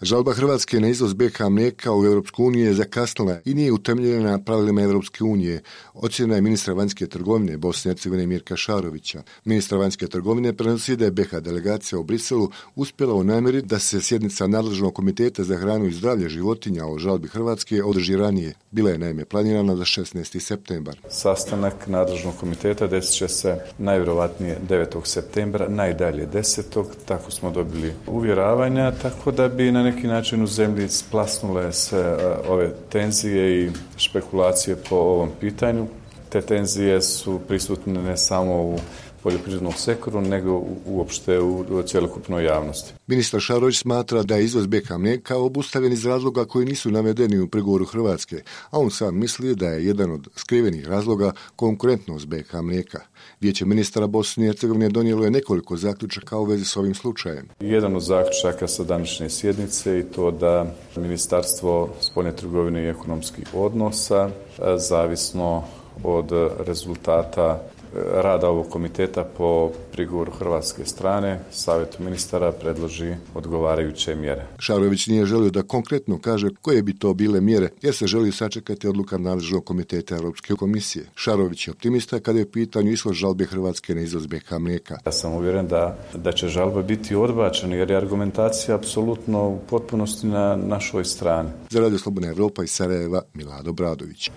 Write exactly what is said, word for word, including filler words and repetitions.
Žalba Hrvatske na izvoz B iH mlijeka u Europsku uniju je zakasnila i nije utemeljena na pravilima Europske unije. Ocjena je ministra vanjske trgovine Bosne i Hercegovine Mirka Šarovića. Ministar vanjske trgovine prenosi da je B iH delegacija u Briselu uspjela u namjeri da se sjednica nadležnog komiteta za hranu i zdravlje životinja o žalbi Hrvatske održi ranije. Bila je naime planirana za šesnaesti septembar. Sastanak nadležnog komiteta desit će se najvjerovatnije devetog septembra, najdalje desetog Tako smo dobili uvjeravanja, tako da bi na neki način u zemlji splasnule se ove tenzije i špekulacije po ovom pitanju. Te tenzije su prisutne ne samo u poljoprivrednom sektoru, nego uopšte u cjelokupnoj javnosti. Ministar Šarović smatra da je izvoz B iH mlijeka obustavljen iz razloga koji nisu navedeni u prigovoru Hrvatske, a on sam misli da je jedan od skrivenih razloga konkurentnost B iH mlijeka. Vijeće ministara Bosne i Hercegovine donijelo je nekoliko zaključaka u vezi s ovim slučajem. Jedan od zaključaka sa današnje sjednice i to da Ministarstvo spoljne trgovine i ekonomskih odnosa, zavisno od rezultata rada ovog komiteta po prigovoru hrvatske strane, Savjetu ministara predloži odgovarajuće mjere. Šarović nije želio da konkretno kaže koje bi to bile mjere, jer se želi sačekati odluka nadležnog komiteta Europske komisije. Šarović je optimista kada je u pitanju ishod žalbe Hrvatske na izvoz B iH mlijeka. Ja sam uvjeren da, da će žalba biti odbačena, jer je argumentacija apsolutno u potpunosti na našoj strani. Za Radio Slobodna Evropa iz Sarajeva, Milado Bradović.